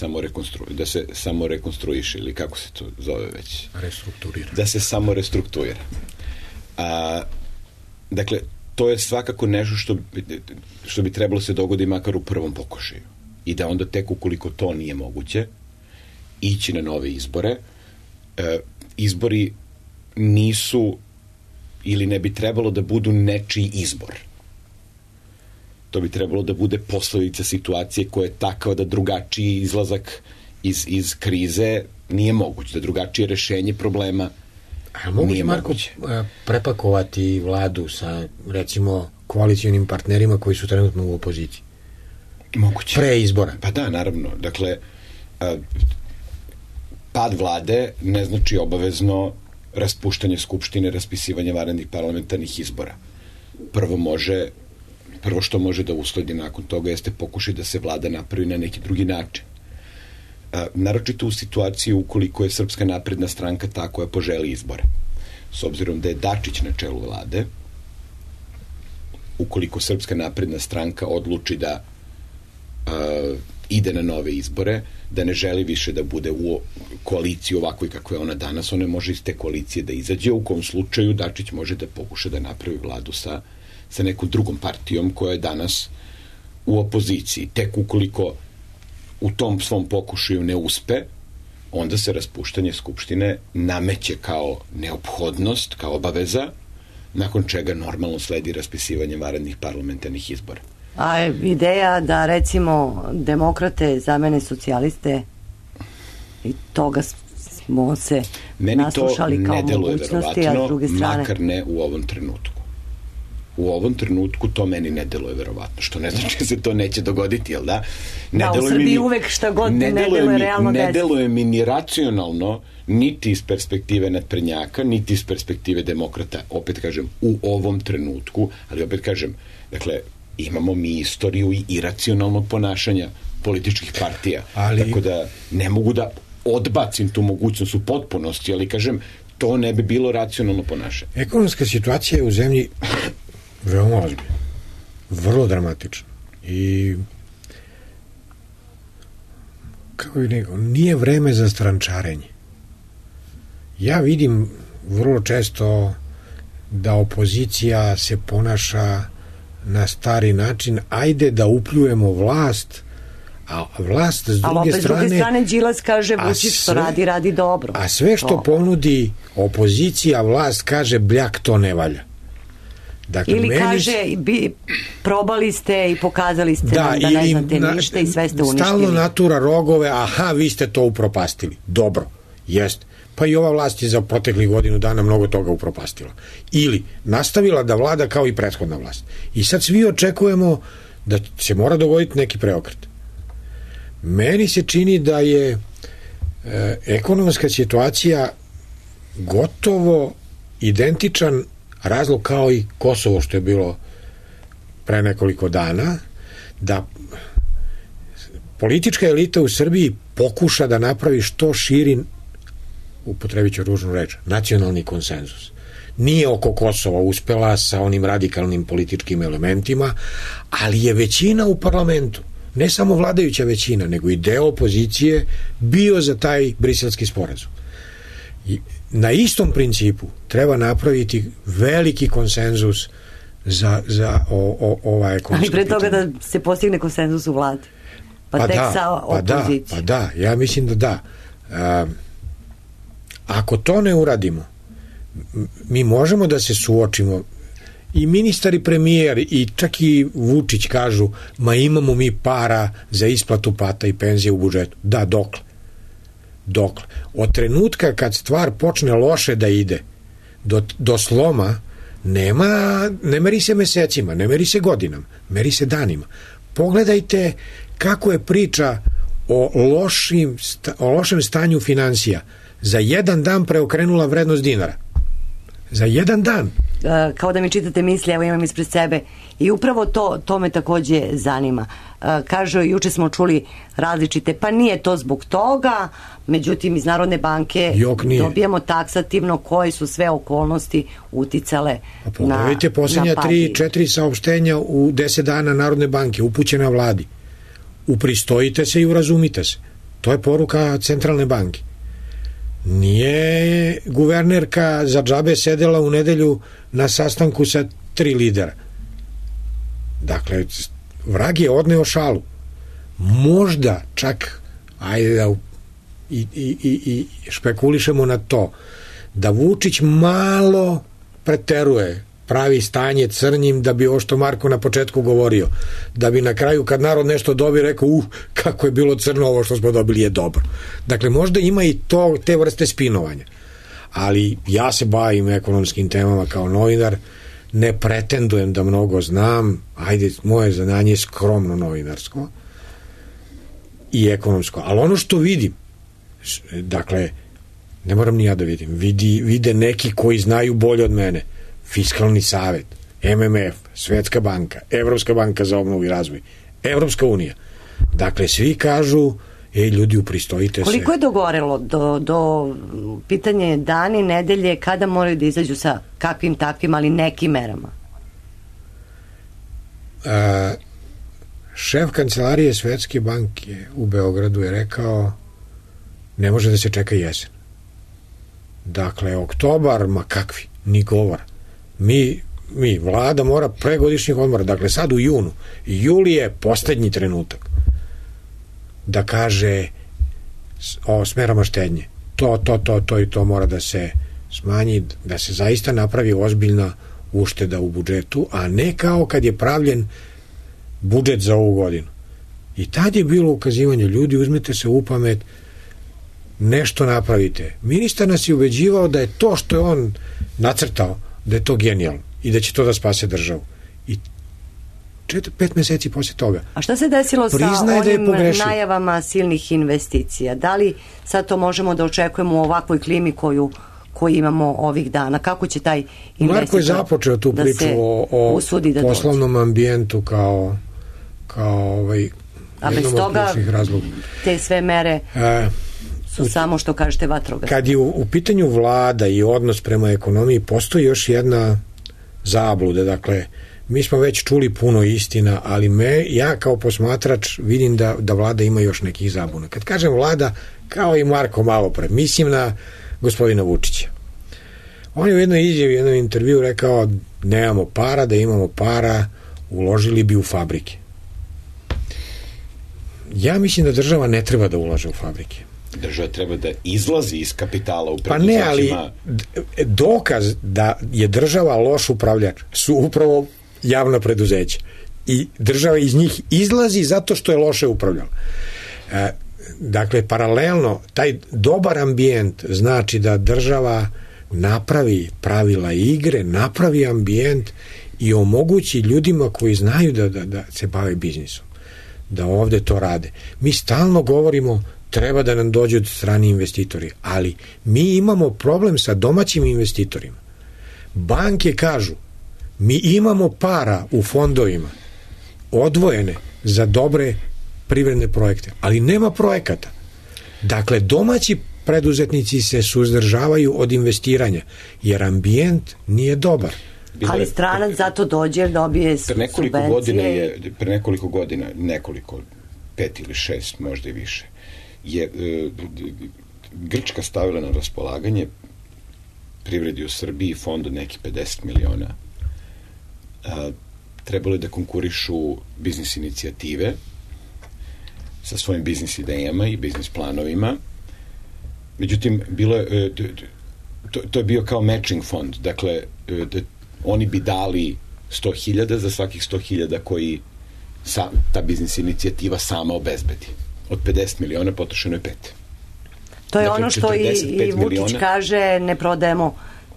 samo rekonstruiše, ili kako se to zove već? Restrukturira. Da se samo restrukturira. Dakle, to je svakako nešto što bi trebalo se dogodi makar u prvom pokušaju. I da onda tek ukoliko to nije moguće, ići na nove izbore. Izbori nisu ili ne bi trebalo da budu nečiji izbor. To bi trebalo da bude posledica situacije koja je takva da drugačiji izlazak iz krize nije moguć, da drugačije rešenje problema nije moguće. Marko, prepakovati vladu sa, recimo, koalicijonim partnerima koji su trenutno u opoziciji? Moguće. Pre izbora? Pa da, naravno. Dakle, pad vlade ne znači obavezno raspuštanje skupštine, raspisivanje vanrednih parlamentarnih izbora. Prvo što može da usledi nakon toga jeste pokušaj da se vlada napravi na neki drugi način. Naročito u situaciji ukoliko je Srpska napredna stranka ta koja poželi izbore. S obzirom da je Dačić na čelu vlade, ukoliko Srpska napredna stranka odluči da ide na nove izbore, da ne želi više da bude u koaliciji ovakvoj kakva je ona danas, ona može iz te koalicije da izađe, u kom slučaju Dačić može da pokuša da napravi vladu sa nekom drugom partijom koja je danas u opoziciji. Tek ukoliko u tom svom pokušaju ne uspe, onda se raspuštanje skupštine nameće kao neophodnost, kao obaveza, nakon čega normalno sledi raspisivanje vanrednih parlamentarnih izbora. A ideja da recimo demokrate zamene socijaliste, i toga smo se naslušali kao mogućnosti, a s druge strane... Makar ne u ovom trenutku. U ovom trenutku to meni ne deluje verovatno, što ne znači da se to neće dogoditi, jel da? Da, u Srbiji uvek šta god ne deluje realno desiti. Ne deluje mi ni racionalno, niti iz perspektive naprednjaka, niti iz perspektive demokrata, opet kažem, u ovom trenutku, ali opet kažem, dakle, imamo mi istoriju i iracionalnog ponašanja političkih partija. Tako da ne mogu da odbacim tu mogućnost u potpunosti, ali kažem, to ne bi bilo racionalno ponašanje. Ekonomska situacija je u zemlji veoma ozbiljna. Vrlo dramatična. I kako bih rekao, nije vreme za strančarenje. Ja vidim vrlo često da opozicija se ponaša na stari način, ajde da upljujemo vlast, a vlast s druge strane Đilas kaže Vučić što radi dobro. A sve što ponudi opozicija, vlast kaže bljak, to ne valja. Dakle, ili kaže probali ste i pokazali ste da ne znate ništa i sve ste uništili. Stalno natura rogove, aha, vi ste to upropastili. Dobro, jeste. Pa i ova vlast je za proteklih godinu dana mnogo toga upropastila. Ili nastavila da vlada kao i prethodna vlast. I sad svi očekujemo da se mora dogoditi neki preokret. Meni se čini da je ekonomska situacija gotovo identičan razlog kao i Kosovo što je bilo pre nekoliko dana da politička elita u Srbiji pokuša da napravi što širi, upotrebit ću ružnu reč, nacionalni konsenzus. Nije oko Kosova uspela sa onim radikalnim političkim elementima, ali je većina u parlamentu, ne samo vladajuća većina, nego i deo opozicije bio za taj briselski sporazum. I na istom principu treba napraviti veliki konsenzus za ova ekonomska ali pre toga pitanja. da se postigne konsenzus u vladi. Pa tek sa opozicijom. Pa da, ja mislim da da. Ako to ne uradimo, mi možemo da se suočimo, i ministar i premijer i čak i Vučić kažu, ma imamo mi para za isplatu plata i penzije u budžetu. Da, dokle? Od trenutka kad stvar počne loše da ide do sloma, ne meri se mesecima, ne meri se godinama, meri se danima. Pogledajte kako je priča o lošem stanju finansija za jedan dan preokrenula vrednost dinara. Za jedan dan. Kao da mi čitate misli, evo imam ispred sebe, i upravo to me takođe zanima. Kažu, juče smo čuli različite, pa nije to zbog toga, međutim iz Narodne banke dobijamo taksativno koje su sve okolnosti uticale na pogledajte posljednja 3-4 saopštenja u 10 dana Narodne banke upućena vladi. Upristojite se i urazumite se. To je poruka Centralne banke. Nije guvernerka za džabe sedela u nedelju na sastanku sa 3 lidera. Dakle, vrag je odneo šalu. Možda čak, ajde da i špekulišemo na to, da Vučić malo preteruje, pravi stanje crnjim, da bi ovo što Marko na početku govorio, da bi na kraju kad narod nešto dobije rekao, kako je bilo crno, ovo što smo dobili je dobro. Dakle, možda ima i te vrste spinovanja. Ali ja se bavim ekonomskim temama kao novinar, ne pretendujem da mnogo znam, ajde, moje znanje je skromno novinarsko i ekonomsko, ali ono što vidim, dakle, ne moram ni ja da vidim, vide neki koji znaju bolje od mene, Fiskalni savet, MMF, Svetska banka, Evropska banka za obnovu i razvoj, Evropska unija. Dakle, svi kažu, ljudi, upristojite se. Koliko je dogorelo do pitanje dani, nedelje, kada moraju da izađu sa kakvim takvim, ali nekim merama? Šef kancelarije Svetske banke u Beogradu je rekao, ne može da se čeka jesen. Dakle, oktobar, ma kakvi, ni govora. Mi, vlada mora pre godišnjih odmora, dakle sad u junu, juli je poslednji trenutak da kaže o smerama štednje. To mora da se smanji, da se zaista napravi ozbiljna ušteda u budžetu, a ne kao kad je pravljen budžet za ovu godinu. I tad je bilo ukazivanje, ljudi, uzmite se u pamet, nešto napravite. Ministar nas je ubeđivao da je to što je on nacrtao, da je to genijalno i da će to da spase državu. I 5 meseci posle toga. A šta se desilo sa onim najavama silnih investicija? Da li sad to možemo da očekujemo u ovakvoj klimi koju imamo ovih dana? Kako će taj investitor Marko je započeo tu priču o poslovnom ambijentu kao a bez toga te sve mere su samo, što kažete, vatrogasne. Kad je u pitanju vlada i odnos prema ekonomiji, postoji još jedna zabluda. Dakle, mi smo već čuli puno istina, ali ja kao posmatrač vidim da vlada ima još nekih zabuna. Kad kažem vlada, kao i Marko malo pre, mislim na gospodina Vučića. On je u jednoj izjavi, u jednom intervju rekao, nemamo para, da imamo para, uložili bi u fabrike. Ja mislim da država ne treba da ulaže u fabrike. Država treba da izlazi iz kapitala u preduzećima. Pa ne, ali dokaz da je država loš upravljač su upravo javna preduzeća. I država iz njih izlazi zato što je loše upravljala. Dakle, paralelno, taj dobar ambijent znači da država napravi pravila igre, napravi ambijent i omogući ljudima koji znaju da se bave biznisom, da ovde to rade. Mi stalno govorimo treba da nam dođu strani investitori, ali mi imamo problem sa domaćim investitorima. Banke kažu, mi imamo para u fondovima odvojene za dobre privredne projekte, ali nema projekata. Dakle, domaći preduzetnici se suzdržavaju od investiranja, jer ambijent nije dobar. Ali stranac zato dođe, dobije subvencije. Pre nekoliko godina, 5 ili 6, možda i više, je Grčka stavila na raspolaganje privredi u Srbiji fond od nekih 50 miliona. Trebalo je da konkurišu biznis inicijative sa svojim biznis idejama i biznis planovima. Međutim, to je bio kao matching fond. Dakle, oni bi dali 100.000 za svakih 100.000 koji ta biznis inicijativa sama obezbedi. Od 50 miliona potrošeno je 5. To je ono što i Vučić kaže, ne prodajemo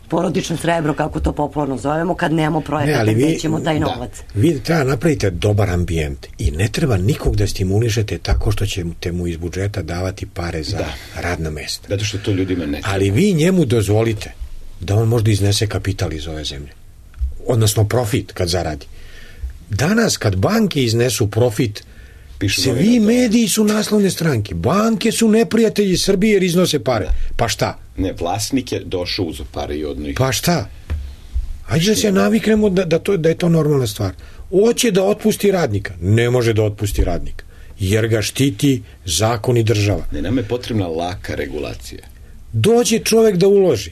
porodično srebro, kako to popularno zovemo, kad nemamo projekata, gde ćemo taj novac. Vi treba napravite dobar ambijent i ne treba nikog da stimulišete tako što ćete mu iz budžeta davati pare za radna mesta. Zato što to ljudima ne treba. Ali vi njemu dozvolite da on možda iznese kapital iz ove zemlje. Odnosno profit kad zaradi. Danas kad banke iznesu profit, svi mediji su naslovne stranke. Banke su neprijatelji Srbije jer iznose pare. Pa šta? Ne, vlasnik je došao uz pare i odno ih. Pa šta? Ajde da se naviknemo da je to normalna stvar. Hoće da otpusti radnika. Ne može da otpusti radnika. Jer ga štiti zakon i država. Ne, nam je potrebna laka regulacija. Dođe čovek da uloži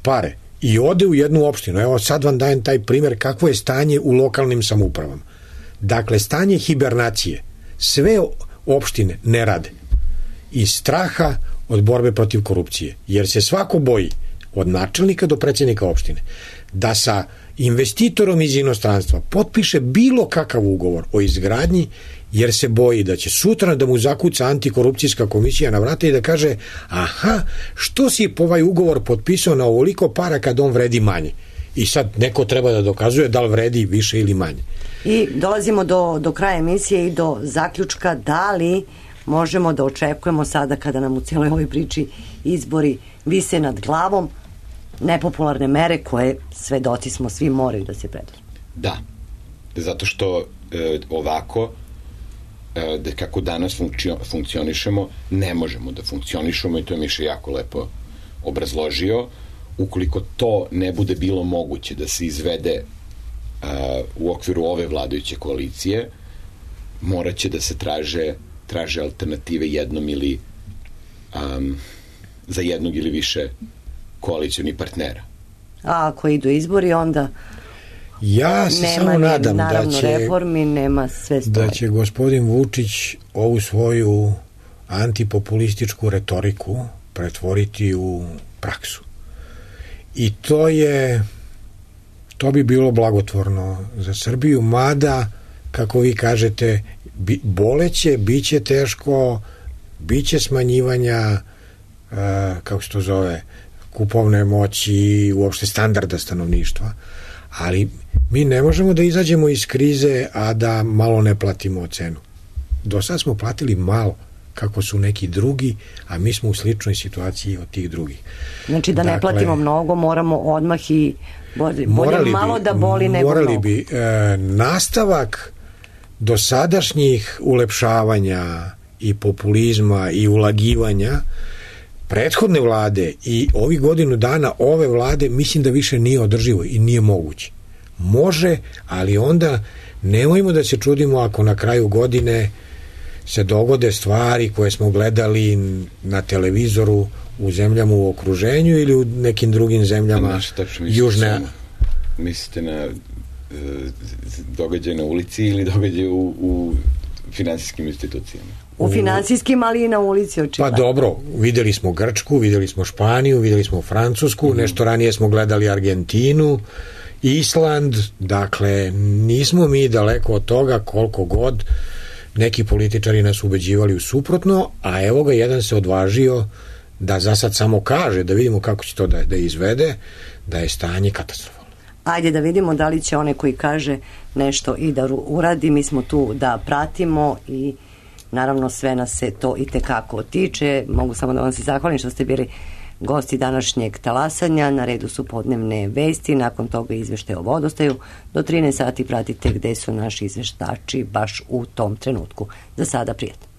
pare i ode u jednu opštinu. Evo sad vam dajem taj primjer kakvo je stanje u lokalnim samoupravama. Dakle, stanje hibernacije. Sve opštine ne rade. Iz straha od borbe protiv korupcije. Jer se svako boji, od načelnika do predsjednika opštine, da sa investitorom iz inostranstva potpiše bilo kakav ugovor o izgradnji, jer se boji da će sutra da mu zakuca antikorupcijska komisija na vrata i da kaže, aha, što si po ovaj ugovor potpisao na ovoliko para kad on vredi manje? I sad neko treba da dokazuje da li vredi više ili manje. I dolazimo do kraja emisije i do zaključka da li možemo da očekujemo sada, kada nam u cijeloj ovoj priči izbori vise nad glavom, nepopularne mere koje svedoci smo, svi moraju da se preduzmu. Da, zato što ovako da kako danas funkcionišemo, ne možemo da funkcionišemo i to je Miša jako lepo obrazložio. Ukoliko to ne bude bilo moguće da se izvede u okviru ove vladajuće koalicije, morat će da se traže alternative jednom ili za jednog ili više koalicionih partnera. A ako idu izbori, onda ja se samo nadam naravno reformi, nema sve stoji. Da će gospodin Vučić ovu svoju antipopulističku retoriku pretvoriti u praksu. I to bi bilo blagotvorno za Srbiju, mada, kako vi kažete, boleće, bit će teško, bit će smanjivanja, kako se to zove, kupovne moći, uopšte standarda stanovništva, ali mi ne možemo da izađemo iz krize, a da malo ne platimo cenu. Do sad smo platili malo, kako su neki drugi, a mi smo u sličnoj situaciji od tih drugih. Znači da ne platimo mnogo, moramo odmah i bolje malo da boli nego mnogo. Morali bi. Nastavak dosadašnjih ulepšavanja i populizma i ulagivanja prethodne vlade i ovih godinu dana ove vlade, mislim da više nije održivo i nije moguće. Može, ali onda nemojmo da se čudimo ako na kraju godine se dogode stvari koje smo gledali na televizoru u zemljama u okruženju ili u nekim drugim zemljama južne. Mislite na događaje na ulici ili događaje u finansijskim institucijama? U finansijskim, ali i na ulici očigledno. Pa dobro, videli smo Grčku, videli smo Španiju, videli smo Francusku, nešto ranije smo gledali Argentinu, Island, dakle nismo mi daleko od toga koliko god neki političari nas ubeđivali u suprotno, a evo ga jedan se odvažio da za sad samo kaže, da vidimo kako će to da izvede, da je stanje katastrofalno. Ajde da vidimo da li će one koji kaže nešto i da uradi, mi smo tu da pratimo i naravno sve nas se to i tekako tiče. Mogu samo da vam se zahvalim što ste bili Gosti današnjeg talasanja, na redu su podnevne vesti, nakon toga izveštaj o vodostaju. Do 13 sati pratite gde su naši izveštači baš u tom trenutku. Za sada prijatno.